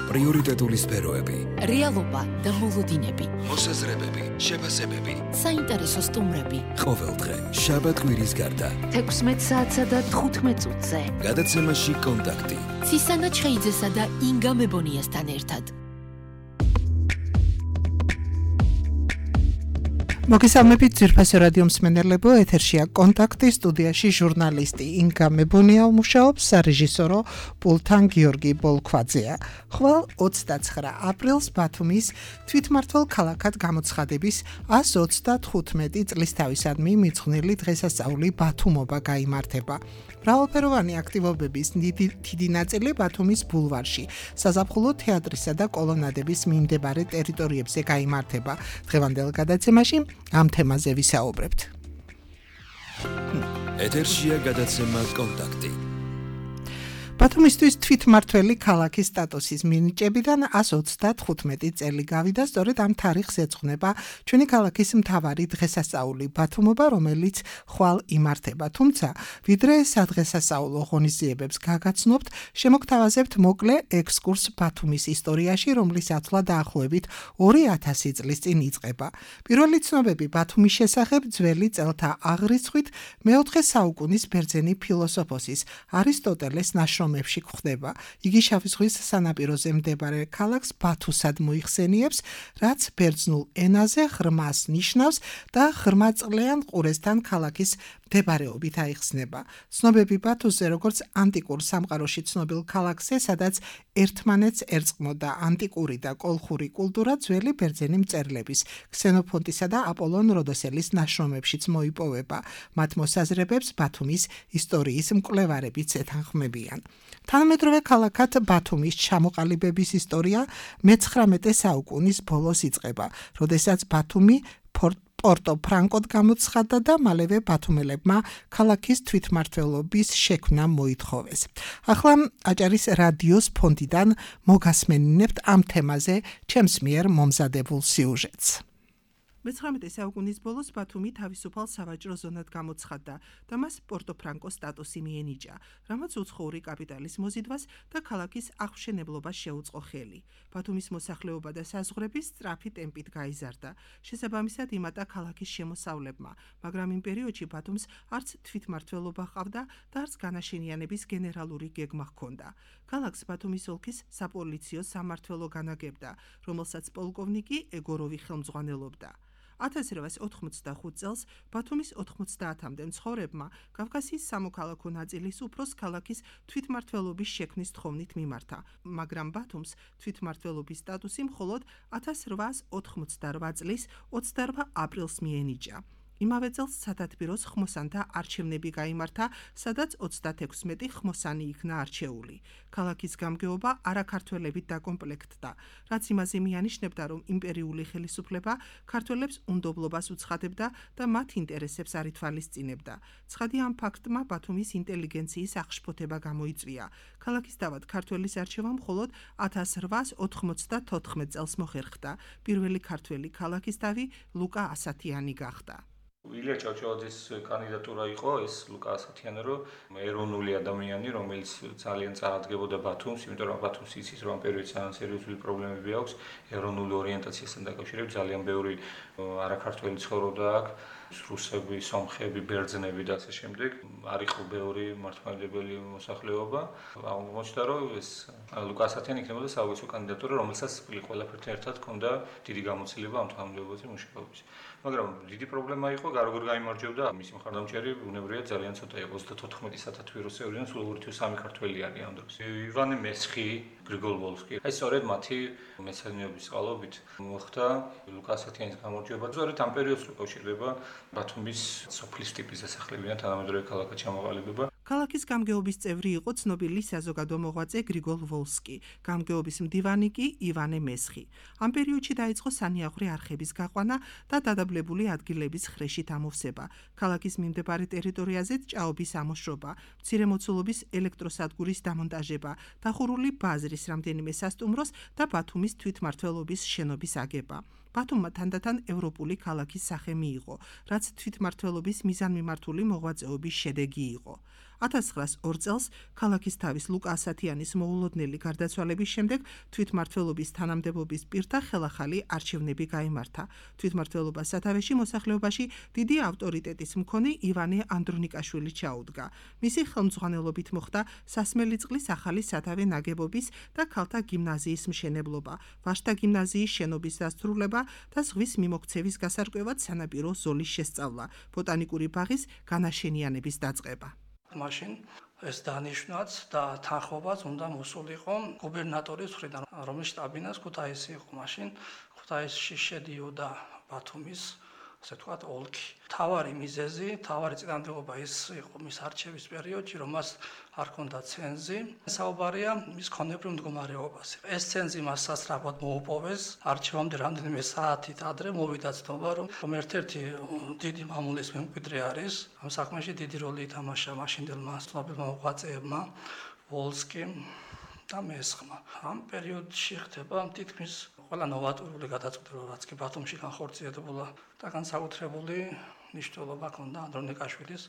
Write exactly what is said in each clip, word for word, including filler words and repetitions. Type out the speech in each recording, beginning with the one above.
პრიორიტეტული სფეროები, რეალობა და მოლოდინები, მოსაზრებები, შეფასებები, საინტერესო სტუმრები. ყოველდღე, შაბათ-კვირის გარდა, თექვსმეტ საათსა და თხუთმეტ წუთზე. გადაცემაში კონტაქტი. ცისანა ჩხეიძესა და ინგა მებონიასთან ერთად. მოგესალმებით ძვირფასო რადიო მსმენელებო, ეთერშია კონტაქტი, სტუდიაში ჟურნალისტი ინგა მებონია მუშაობს, სარეჟისორო პულთან გიორგი ბოლქვაძეა. ხვალ ოცდაცხრა აპრილს ბათუმის თვითმმართველ ქალაქად გამოცხადების ასი ოცდათხუთმეტი წლის თავისადმი მიძღვნილი დღესასწაული ბათუმობა გაიმართება. მრავალფეროვანი აქტივობების დიდი ნაწილი ბათუმის ბულვარში, საზაფხულო თეატრისა და კოლონადების მიმდებარე ტერიტორიებზე გაიმართება. დღევანდელ გადაცემაში ამ თემაზე ვისაუბრებთ. ეთერშია გადაცემა კონტაქტი. ბათუმისთვის თვითმმართველი ქალაქის სტატუსის მინიჭებიდან ასი ოცდათხუთმეტი წელი გავიდა, სწორედ ამ თარიღს ეძღვნება ჩვენი ქალაქის მთავარი დღესასწაული ბათუმობა, რომელიც ხვალ იმართება. თუმცა, ვიდრე სადღესასწაულო ღონისძიებებს გაგაცნობთ, შემოგთავაზებთ მოკლე ექსკურს ბათუმის ისტორიაში, რომლის ათვლა დაახლოებით ორი ათასი წლის წინ იწყება. პირველი ცნობები ბათუმის შესახებ ძველი წელთა აღრიცხვით მეოთხე საუკუნის ბერძენი ფილოსოფოსის არისტოტელეს ნაშრომებში გვხდება. იგი შავი ზღვის სანაპიროზე მდებარე ქალაქს ბათუსად მოიხსენიებს, რაც ბერძნულ ენაზე ღრმას ნიშნავს და ღრმაწყლიან ყურესთან ქალაქის მდებარეობით აიხსნება. ცნობები ბათუსზე როგორც ანტიკურ სამყაროში ცნობილ ქალაქზე, სადაც ერთმანეთს ერწყმოდა ანტიკური და კოლხური კულტურა, ძველი ბერძენი მწერლების, ქსენოფონტისა და აპოლონ როდოსელის ნაშრომებშიც მოიპოვება. მათ მოსაზრებებს ბათუმის ისტორიის მკვლევარებიც ეთანხმებიან. თანამედროვე ქალაქად ბათუმის ჩამოყალიბების ისტორია მეცხრამეტე საუკუნის ბოლოს იწყება, როდესაც ბათუმი პორტო ფრანკოდ გამოცხადდა და მალევე ბათუმელებმა ქალაქის თვითმმართველობის შექმნა მოითხოვეს. ახლა აჭარის რადიოს ფონდიდან მოგასმენინებთ ამ თემაზე ჩემს მიერ მომზადებულ სიუჟეტს. მეცხრამეტე საუკუნის ბოლოს ბათუმი თავისუფალ სავაჭრო ზონად გამოცხადდა და მას პორტო-ფრანკოს სტატუსი მიენიჭა, რამაც უცხოური კაპიტალის მოზიდვას და ქალაქის აღმშენებლობას შეუწყო ხელი. ბათუმის მოსახლეობა და საზღვრები სწრაფი ტემპით გაიზარდა. შესაბამისად იმატა ქალაქის შემოსავლებმა, მაგრამ იმ პერიოდში ბათუმს არც თვითმმართველობა ჰყავდა და არც განაშენიანების გენერალური გეგმა ჰქონდა. ქალაქს ბათუმის ოლქის საპოლიციო სამმართველო განაგებდა, რომელსაც პოლკოვნიკი ეგოროვი ხელმძღვანელობდა. ათას რვაას ოთხმოცდახუთ წელს ბათუმის ოთხმოცდაათამდე მცხოვრებმა კავკასიის სამოქალაქო ნაწილის უფროს ქალაქის თვითმმართველობის შექმნის თხოვნით მიმართა, მაგრამ ბათუმს თვითმმართველობის სტატუსი მხოლოდ ათას რვაას ოთხმოცდარვა წლის ოცდარვა აპრილს მიენიჭა. იმავე წელს სათათბიროს ხმოსანთა არჩევნები გაიმართა, სადაც ოცდათექვსმეტი ხმოსანი იქნა არჩეული. ქალაქის გამგეობა არაქართველებით დაკომპლექტდა, რაც იმაზე მიანიშნებდა, რომ იმპერიული ხელისუფლება ქართველებს უნდობლობას უცხადებდა და მათ ინტერესებს არ ითვალისწინებდა. ცხადი ამ ფაქტმა ბათუმის ინტელიგენციის აღშფოთება გამოიწვია. ქალაქის დავად ქართველის არჩევა მხოლოდ ათას რვაას ოთხმოცდათოთხმეტ წელს მოხერხდა. პირველი ქართველი ქალაქის დავი ლუკა ასათიანი გახდა. ილია ჭავჭავაძის კანდიდატურა იყო ეს ლუკა ასათიანი, რომ ეროვნული ადამიანი, რომელიც ძალიან წარადგენდა ბათუმს, იმიტომ რომ ბათუმს იცის, რომ ამ პერიოდში ძალიან სერიოზული პრობლემები აქვს ეროვნული ორიენტაციასთან დაკავშირებით, ძალიან ბევრი არაქართველი ცხოვრობდა აქ, რუსები, სომხები, ბერძნები და ასე შემდეგ. არ იყო ბევრი მართლმადიდებელი მოსახლეობა. აღმოჩნდა, რომ ეს ლუკა ასათიანი იქნებოდა საუკეთესო კანდიდატურა, რომელსაც ყველაფერთან ერთად ჰქონდა დიდი გამოცდილება ამ თანამდებობაზე მუშაობის. მაგრამ დიდი პრობლემა იყო, როგორ გაიმარჯვებდა მისი მხარდამჭერი, ბუნებრივია ძალიან ცოტა იყო, ოცდათოთხმეტი სათათბიროსეულიდან სულ ორი თუ სამი ქართველი არის ამ დროს. ივანე მესხი, გრიგოლ ვოლსკი. აი სწორედ მათი მეცადინეობის წყალობით მოხდა ლუკა ასათიანის გამარჯვება. სწორედ ამ პერიოდს უკავშირდება ბათუმის სოფლის ტიპის დასახლებიდან თანამედროვე ქალაქად ჩამოყალიბება. ქალაქის გამგეობის წევრი იყო ცნობილი საზოგადო მოღვაწე გრიგოლ ვოლსკი, გამგეობის მდივანი კი ივანე მესხი. ამ პერიოდში დაიწყო სანიაღვრე არხების გაყვანა და დადაბლებული ადგილების ხრეშით ამოვსება. ქალაქის მიმდებარე ტერიტორიაზეც ჭაობის ამოშრობა, მცირემოცულობის ელექტროსადგურის დამონტაჟება, დახურული ბაზრის რამდენიმე სასტუმროს და ბათუმის თვითმმართველობის შენობის აგება. ბათუმმა თანდათან ევროპული ქალაქის სახე მიიღო, რაც თვითმმართველობის მიზანმიმართული მოღვაწეობის შედეგი იყო. ათას ცხრაას ორ წელს ქალაქის თავის ლუკა ასათიანის მოულოდნელი გარდაცვალების შემდეგ თვითმმართველობის თანამდებობის პირთა ხელახალი არჩევნები გაიმართა. თვითმმართველობას სათავეში მოსახლეობაში დიდი ავტორიტეტის მქონე ივანე ანდრონიკაშვილი ჩაუდგა. მისი ხელმძღვანელობით მოხდა სასმელი წყლის ახალი სათავე ნაგებობის და ქალთა გიმნაზიის მშენებლობა, ვაშთა გიმნაზიის შენობის დასრულება და ზღვის მიმოქცევის გასარკვევად სანაპირო ზოლის შესწავლა, ბოტანიკური ბაღის განაშენიანების დაწყება. მაშინ ეს დანიშნვაც და თანხმობაც უნდა მოსულიყო გუბერნატორის მხრიდან, რომლის შტაბ-ბინას ქუთაისი იყო მაშინ. ქუთაისში შედიოდა ბათუმის, ასე ვთქვათ, ოლქი. თავარი მიზეზი, თავარი წინამდებობა ის იყო მის არჩევის პერიოდში, რომ მას არ ჰქონდა ცენზი. საუბარია მის ქონებრივ მდგომარეობაზე. ეს ცენზი მას სასწრაფოდ მოუპოვეს. არჩევამდე რამდენიმე საათით ადრე მოვიდა ცნობა, რომ ერთ-ერთი დიდი მამულის მემკვიდრე არის. ამ საქმეში დიდი როლი ითამაშა მაშინდელმა ცნობილმა მოღვაწეებმა, ვოლსკიმ და მესხმა. ამ პერიოდში ხდება თითქმის ყველა ნოვატორული გადაწყვეტილება, რაც კი ბათუმში განხორციელებულა და განსაკუთრებული მნიშვნელობა ჰქონდა ანდრონიკაშვილის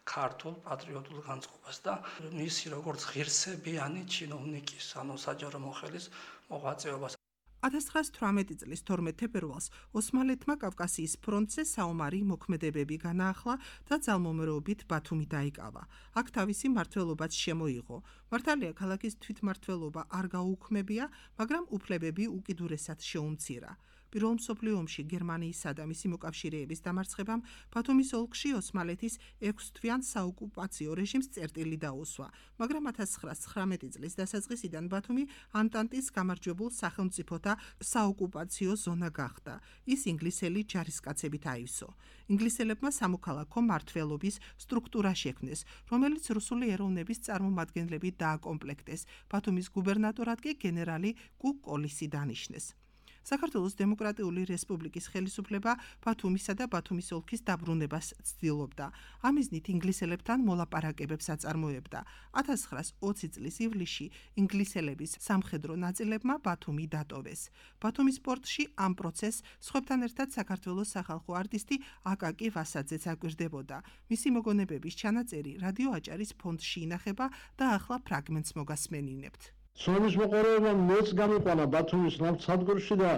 ქართულ პატრიოტულ განწყობას და მისი როგორც ღირსებიანი ჩინოვნიკის, ანუ საჯარო მოხელის მოღვაწეობას. ათას ცხრაას თვრამეტი წლის თორმეტ თებერვალს ოსმალეთმა კავკასიის ფრონტზე საომარი მოქმედებები განაახლა და ძალმომრეობით ბათუმი დაიკავა. აქ თავისი მმართველობაც შემოიღო. მართალია ქალაქის თვითმმართველობა არ გაუქმებია, მაგრამ უფლებები უკიდურესად შეუმცირა. პირველ მსოფლიო ომში გერმანიისა და მისი მოკავშირეების დამარცხებამ ბათუმის ოლქში ოსმალეთის ექვსთვიან საოკუპაციო რეჟიმს წერტილი დაუსვა, მაგრამ ათას ცხრაას ცხრამეტი წლის დასაწყისიდან ბათუმი ანტანტის გამარჯვებულ სახელმწიფოთა საოკუპაციო ზონა გახდა. ის ინგლისელი ჯარისკაცებით აივსო. ინგლისელებმა სამოქალაქო მმართველობის სტრუქტურა შექმნეს, რომელიც რუსული ეროვნების წარმომადგენლებით დააკომპლექტეს. ბათუმის გუბერნატორად კი გენერალი კუკ-კოლისი დანიშნეს. საქართველოს დემოკრატიული რესპუბლიკის ხელისუფლება ბათუმისა და ბათუმის ოლქის დაბრუნებას ცდილობდა. ამ მიზნით ინგლისელებთან მოლაპარაკებებს აწარმოებდა. ათას ცხრაას ოცი წლის ივლისში ინგლისელების სამხედრო ნაწილებმა ბათუმი დატოვეს. ბათუმის პორტში ამ პროცესს სხვებთან ერთად საქართველოს სახალხო არტისტი აკაკი ვასაძეც აკვირდებოდა. მისი მოგონებების ჩანაწერი რადიო აჭარის ფონდში ინახება და ახლა ფრაგმენტს მოგასმენინებთ. ცნობის მოყოლება მეც გამიყვანა ბათუმის ნავთსადგურში და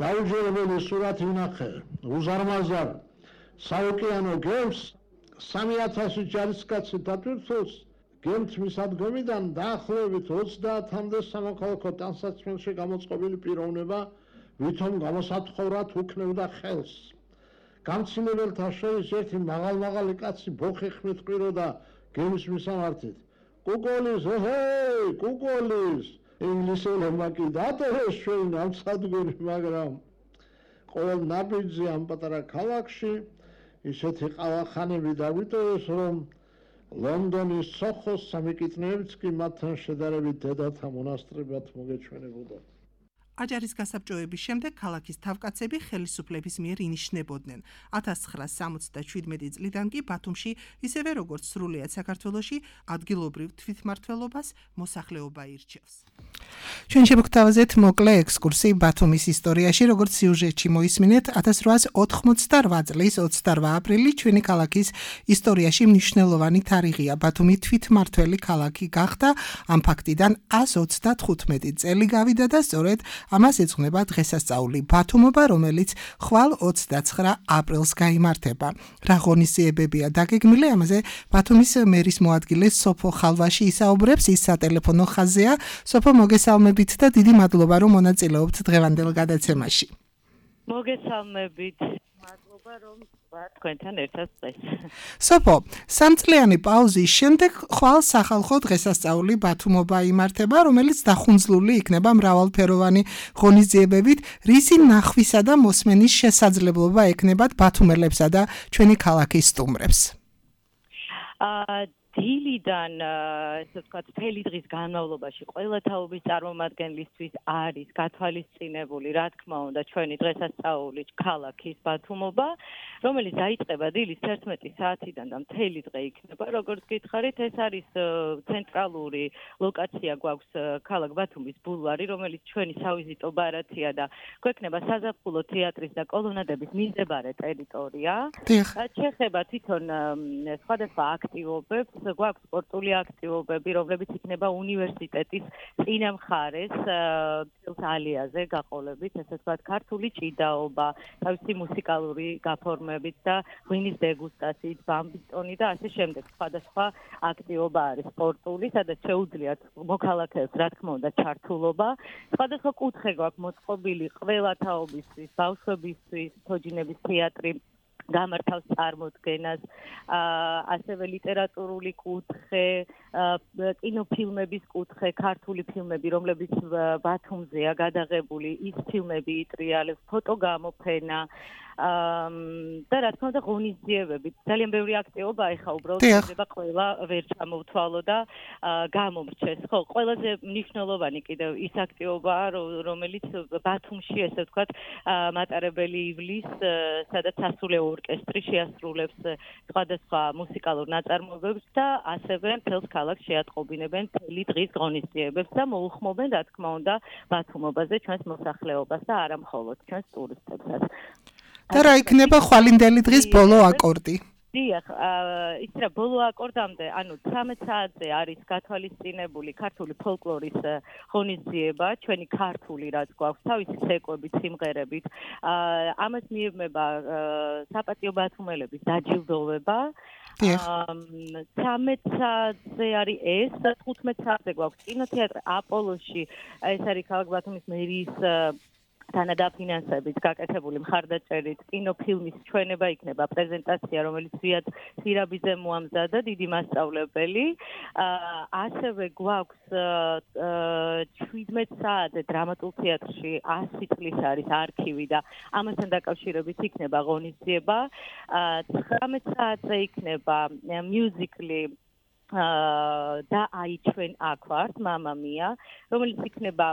დაუჯერებელი სურათი ვნახე. უზარმაზარ საოკეანო გემს სამი ათასი ჯარისკაცი დატვირთულს გემთ მისადგომიდან დაახლოებით ოცდაათამდე სამოქალაქო ტანსაცმელში გამოწყობილი პიროვნება ვითომ გამოსათხოვრად უქნევდა ხელს. გამცილებელთა შორის ერთი მაღალმაღალი კაცი ბოხი ხმით ყვიროდა გემის მისამართით. კუკოლის, ჰეი, კუკოლის, ინგლისელებმა კი დატოვეს ჩვენ ნავთსადგური, მაგრამ ყოველ ნაბიჯზე ამ პატარა ქალაქში ისეთი ყავახანები დაგვიტოვეს, რომ ლონდონის სოხოს სამიკიტნეებიც კი მათთან შედარებით დედათა მონასტრებად მოგეჩვენებოდა. აჭარის გასაბჭოების შემდეგ ქალაქის თავკაცები ხელისუფლების მიერ ინიშნებოდნენ. ათას ცხრაას სამოცდაშვიდმეტი წლიდან კი ბათუმში, ისევე როგორც სრულიად საქართველოში, ადგილობრივ თვითმმართველობას მოსახლეობა ირჩევს. ჩვენ შევგვთავაზეთ მოკლე ექსკურსი ბათუმის ისტორიაში, როგორც სიუჟეტში მოისმინეთ, ათას რვაას ოთხმოცდარვა წლის ოცდარვა აპრილი ჩვენი ქალაქის ისტორიაში მნიშვნელოვანი თარიღია. ბათუმი თვითმმართველი ქალაქი გახდა, ამ ფაქტიდან ას ოცდათხუთმეტი წელი გავიდა და სწორედ ამას ეძღვნება დღესასწაული ბათუმობა, რომელიც ხვალ ოცდაცხრა აპრილს გაიმართება. რა ღონისძიებებია დაგეგმილი, ამაზე ბათუმის მერის მოადგილე სოფო ხალვაში ისაუბრებს, ის სატელეფონო ხაზია. სოფო, მოგესალმებით და დიდი მადლობა, რომ მონაწილეობთ დღევანდელ გადაცემაში. მოგესალმებით. მადლობა, რომ ვარ თქვენთან ერთად დღეს. სოფო, სამწლიანი პაუზის შემდეგ ხვალ სახალხო დღესასწაული ბათუმობა იმართება, რომელიც დახუნძლული იქნება მრავალფეროვანი ღონისძიებებით, რისი ნახვისა და მოსმენის შესაძლებლობა ექნებათ ბათუმელებსა და ჩვენი ქალაქის სტუმრებს. აა დილიდან ესე ვთქვათ, მთელი დღის განმავლობაში ყველა თაობის წარმომადგენლისთვის არის გათვალისწინებული, რა თქმა უნდა, ჩვენი დღესასწაული ქალაქის ბათუმობა, რომელიც დაიწყება დილის თერთმეტი საათიდან და მთელი დღე იქნება. Როგორც გითხარით, ეს არის ცენტრალური ლოკაცია გვაქვს ქალაქ ბათუმის ბულვარი, რომელიც ჩვენი სავიზიტო ბარათია და გვექნება საზაფხულო თეატრის და კოლონადების მიმდებარე ტერიტორია. შეეხება თვითონ სხვადასხვა აქტივობებს, გვაქვს სპორტული აქტივობები, რომლებიც იქნება უნივერსიტეტის წინა მხარეს ალიაზე გაყოლებით, ესე ვთქვათ, ქართული ჭიდაობა, თავისი მუსიკალური გაფორმებით და ღვინის დეგუსტაციით, ბამბისტონი და ასე შემდეგ. სხვადასხვა აქტივობა არის სპორტული, სადაც შეუძლიათ მოქალაქეებს, რა თქმა უნდა, ჩართულობა. სხვადასხვა კუთხე გვაქვს მოწყობილი ყველა თაობისთვის, ბავშვებისთვის, თოჯინების თეატრი გამართავს წარმოდგენას, ასევე ლიტერატურული კუთხე, კინოფილმების კუთხე, ქართული ფილმები, რომლებიც ბათუმზეა გადაღებული, ის ფილმები იტრიალებს, ფოტოგამოფენა და რა თქმა უნდა ღონისძიებები. ძალიან ბევრი აქტივობა ეხა უბრალოდ შეიძლება ყველა ვერ ჩამოვთვალო და გამომრჩეს. ხო, ყველაზე მნიშვნელოვანი კიდევ ის აქტივობაა, რომელიც ბათუმში, ესე ვთქვათ, მატარებელი ივლის, სადაც სასულე ორკესტრი შეასრულებს სხვადასხვა მუსიკალურ ნაწარმოებებს და ასევე მთელს ქალაქს შეატყობინებენ მთელი დღის ღონისძიებებს და მოუხმობენ, რა თქმა უნდა, ბათუმობაზე ჩვენს მოსახლეობას და არა მხოლოდ ჩვენს ტურისტებსაც. და რა იქნება ხვალინდელი დღის ბოლო აკორდი? დიახ, ის რა ბოლო აკორდამდე, ანუ ცხრამეტ საათზე არის გათვალისწინებული ქართული ფოლკლორის ღონისძიება, ჩვენი ქართული რაც გვაქვს, თავისი ცეკვებით, სიმღერებით. ამას მიებმება საპატიო ბათუმელების დაჯილდოვება. ცამეტ საათზე არის ეს, თხუთმეტ საათზე გვაქვს კინოთეატრი აპოლოში, ეს არის ქალაქ ბათუმის მერიის თანადაფინანსებით გაკეთებული მხარდაჭერით კინოფილმის ჩვენება იქნება პრეზენტაცია, რომელიც ვიად სირაბიძე მოამზადა, დიდი მასწავლებელი. ასევე გვაქვს შვიდმეტ საათზე დრამატულ თეატრში ასი წლის არის არქივი და ამასთან დაკავშირებით იქნება ღონისძიება. ცხრამეტ საათზე იქნება მიუზიკლი და აი ჩვენ აქ ვართ, მამა მია, რომელიც იქნება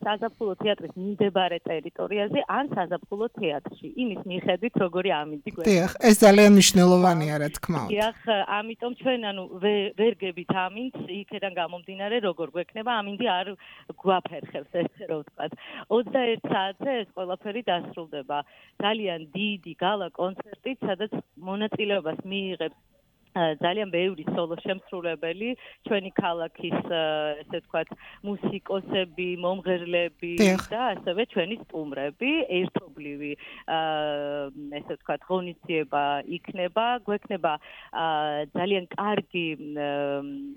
საზაფხულო თეატრის მიმდებარე ტერიტორიაზე ან საზაფხულო თეატრში. იმის მიხედვით, როგორი ამინდი გვექნება. დიახ, ეს ძალიან მნიშვნელოვანია, რა თქმა უნდა. დიახ, ამიტომ ჩვენ ანუ ვერ გებით ამინდს, იქიდან გამომდინარე, როგორ გვექნება, ამინდი არ გვაფერხებს, ესე რომ ვთქვათ. ოცდაერთ საათზე ეს ყველაფერი დასრულდება. ძალიან დიდი გალა კონცერტით, სადაც მონაწილეობას მიიღებს ძალიან ბევრი სოლო შემსრულებელი, ჩვენი ქალაქის, ესე ვთქვათ, მუსიკოსები, მომღერლები და ასევე ჩვენი სტუმრები, ერთობლივი, ესე ვთქვათ, ღონისძიება იქნება, გვექნება ძალიან კარგი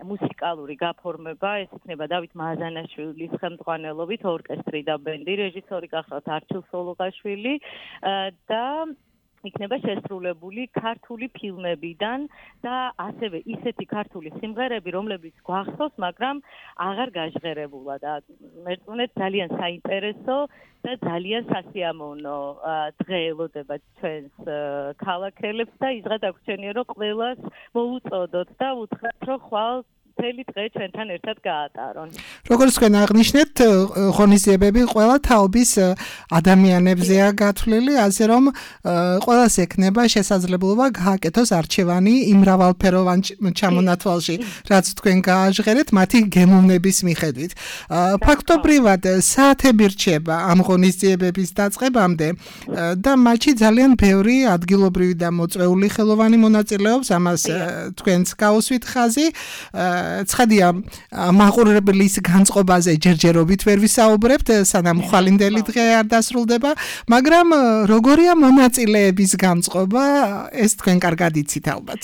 მუსიკალური გაფორმება, ეს იქნება დავით მაზანაშვილის ხელმძღვანელობით, ორკესტრი და ბენდი, რეჟისორი გახლავთ არჩილ სოლოღაშვილი და იქნება შესრულებული ქართული ფილმებიდან და ასევე ისეთი ქართული სიმღერები, რომლებიც გვახსოვს, მაგრამ აღარ გაჟღერებულა და მერწმუნეთ ძალიან საინტერესო და ძალიან სასიამოვნო დღე ელოდება ჩვენს ქალაქელებს და იზღა დაგვრჩენია, რომ ყველას მოუწოდოთ და უთხრათ, რომ ხვალ მთელი დღე ჩვენთან ერთად გაატარონ. როგორც თქვენ აღნიშნეთ, ღონისძიებები ყველა თაობის ადამიანებზეა გათვლილი, ასე რომ ყველას ექნება შესაძლებლობა გააკეთოს არჩევანი იმ მრავალფეროვან ჩამონათვალში, რაც თქვენ გააჟღერეთ მათი გემოვნების მიხედვით. ფაქტობრივად საათები რჩება ამ ღონისძიებების დაწყებამდე და მათში ძალიან ბევრი ადგილობრივი და მოწვეული ხელოვანი მონაწილეობს, ამას თქვენც გაუსვით ხაზი. ცხადია, მაყურებლის განწყობაზე ჯერჯერობით ვერ ვისაუბრებთ, სანამ ხვალინდელი დღე არ დასრულდება, მაგრამ როგორია მონაწილეების განწყობა, ეს თქვენ კარგად იცით ალბათ.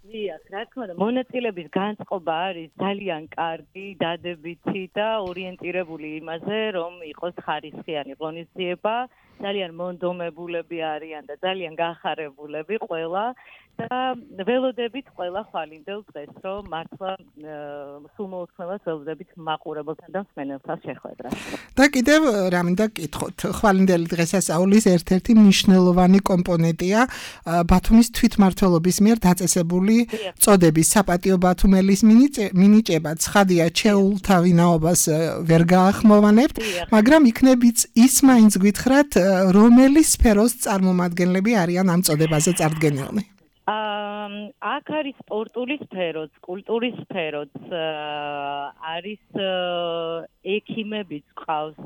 დიახ, რა თქმა უნდა, მონაწილეების განწყობა არის ძალიან კარგი, დადებითი და ორიენტირებული იმაზე, რომ იყოს ხარისხიანი ღონისძიება. ძალიან მონდომებულები არიან და ძალიან გახარებულები ყველა და ველოდებით ყველა ხვალინდელ დღეს რომ მართლა სულ მოუთხოვნელად ველოდებით მაყურებელთან და მსმენელთან შეხვედრას. და კიდევ რა მინდა გკითხოთ, ხვალინდელი დღესასწაულის ერთ-ერთი მნიშვნელოვანი კომპონენტია ბათუმის თვითმმართველობის მიერ დაწესებული წოდების საპატიო ბათუმელის მინიჭება. ცხადია, ჩეულთა ვინაობას ვერ გაახმოვანებთ, მაგრამ იქნებ ის მაინც გითხრათ, რომელი სფეროს წარმომადგენლები არიან ამ წოდებაზე წარდგენილნი? აქ არის სპორტული სფეროც, კულტურის სფეროც, არის ექიმებიც ყავს.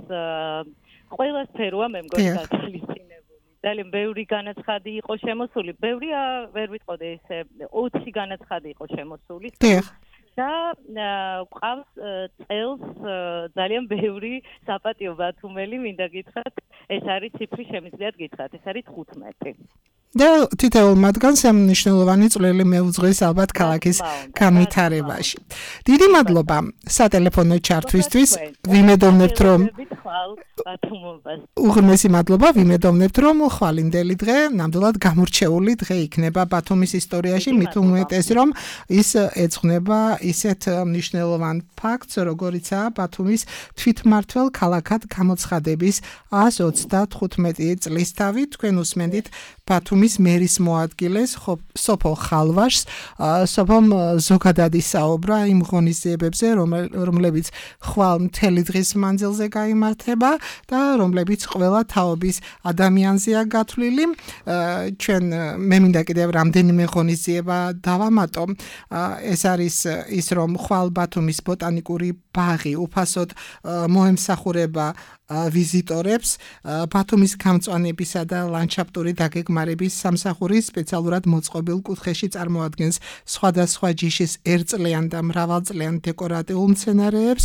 ყველა სფეროა მე მგონი გათვალისწინებული. ძალიან ბევრი განაცხადი იყო შემოსული. ბევრია ვერ ვიტყოდე ესე ოცი განაცხადი იყო შემოსული. და ყავს წელს ძალიან ბევრი საპატიო ბათუმელი, მინდა გითხრათ, ეს არის ციფრი შემიძლიათ გითხრათ, ეს არის თხუთმეტი. და თითოეულ მათგანს ამ მნიშვნელოვანი წვლილი მეუძღვის ალბათ ქალაქის განვითარებაში. დიდი მადლობა სატელეფონო ჩართვისთვის. ვიმედოვნებთ, რომ უღრმესი მადლობა, ვიმედოვნებთ, რომ ხვალინდელი დღე ნამდვილად გამორჩეული დღე იქნება ბათუმის ისტორიაში, მით უმეტეს, რომ ის ეძღვნება ისეთ მნიშვნელოვან ფაქტს, როგორიცაა ბათუმის თვითმმართველ ქალაქად გამოცხადების ას ოცდათხუთმეტი წლისთავი. თქვენ უსმენთ ბათუმის მერის მოადგილეს სოფო ხალვაშს, სოფომ ზოგადად ისაუბრა იმ ღონისძიებებზე, რომლებიც ხვალ მთელი დღის მანძილზე გაიმართება და რომლებიც ყველა თაობის ადამიანზეა გათვლილი. ჩვენ მე მინდა კიდევ რამდენიმე ღონისძიება დავამატო. ეს არის ის, რომ ხვალ ბათუმის ბოტანიკური ბაღი უფასოდ მოემსახურება ვიზიტორებს. ბათუმის გამწვანებისა და ლანდშაფტური დაგეგმარების სამსახური სპეციალურად მოწყობილ კუთხეში წარმოადგენს სხვადასხვა ჯიშის ერთწლიან და მრავალწლიან დეკორატიულ მცენარეებს.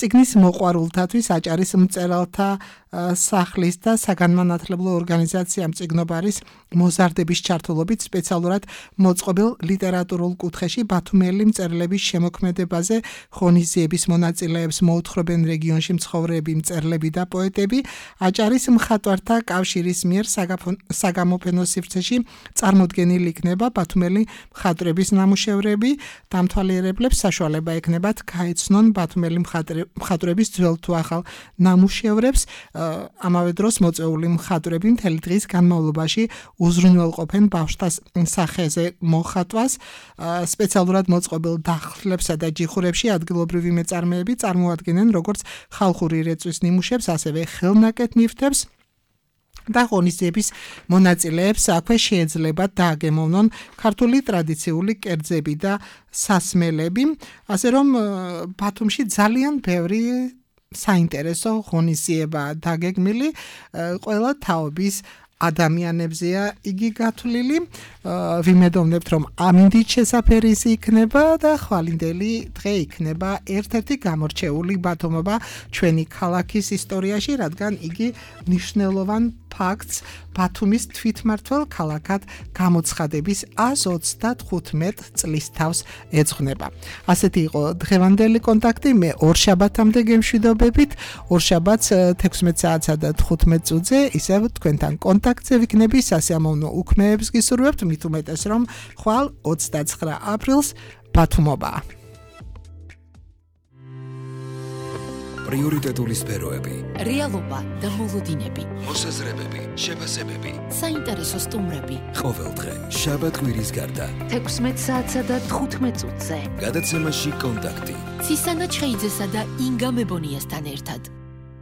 წიგნის მოყვარულთათვის აჭარის მწერალთა სახლის და საგანმანათლებლო ორგანიზაცია მწიგნობარის მოზარდების ჩართულობით სპეციალურად მოწყობილ ლიტერატურულ კუთხეში ბათუმელი მწერლების შემოქმედებაზე ღონისძიების მონაწილეებს მოუთხრობენ რეგიონში მცხოვრები მწერლები და პოეტები. აჭარის მხატვართა კავშირის მიერ საგამოფენო სივრცეში წარმოდგენილი იქნება ბათუმელი მხატვრების ნამუშევრები. დამთვალიერებლებს საშუალება ექნებათ გაეცნონ ბათუმელი მხატვრების ძველ თუ ახალ ნამუშევრებს. ამავე დროს მოწვეული მხატვრები მთელი დღის განმავლობაში უზრუნველყოფენ ბავშვთა სახეზე მოხატვას. სპეციალურად მოწყობილ დახლებსა და ჯიხურებში ადგილობრივი მეწარმეები წარმოადგენენ როგორც ხალხური რეწვის ნიმუშებს, ასევე ხელნაკეთ ნივთებს. და ღონისძიების მონაწილეებს აქვე შეეძლებათ დააგემოვნონ ქართული ტრადიციული კერძები და სასმელები. ასე რომ ბათუმში ძალიან ბევრი საინტერესო ღონისძიება დაგეგმილი, ყველა თაობის ადამიანებზეა იგი გათვლილი. ვიმედოვნებთ, რომ ამინდით შესაფერისი იქნება და ხვალინდელი დღე იქნება ერთ-ერთი გამორჩეული ბათუმობა ჩვენი ქალაქის ისტორიაში, რადგან იგი მნიშვნელოვან ფაქტს ბათუმის თვითმმართველ ქალაქად გამოცხადების ას ოცდათხუთმეტ წლის თავს ეძღვნება. ასეთი იყო დღევანდელი კონტაქტი. მე ორშაბათამდე გემშვიდობებით. ორშაბათს თექვსმეტ საათსა და თხუთმეტ წუთზე ისევ თქვენთან კონტაქტზე ვიქნები. სასიამოვნო უქმეებს გისურვებთ, მით უმეტეს, რომ ხვალ ოცდაცხრა აპრილს ბათუმობაა. პრიორიტეტული სფეროები, რეალობა და მოლოდინები, მოსაზრებები, შეფასებები, საინტერესო სტუმრები. ყოველდღე შაბათ-კვირის გარდა თექვსმეტ საათსა და თხუთმეტ წუთზე გადაცემაში კონტაქტი. ცისანა ჩხეიძესა და ინგა მებონიასთან ერთად.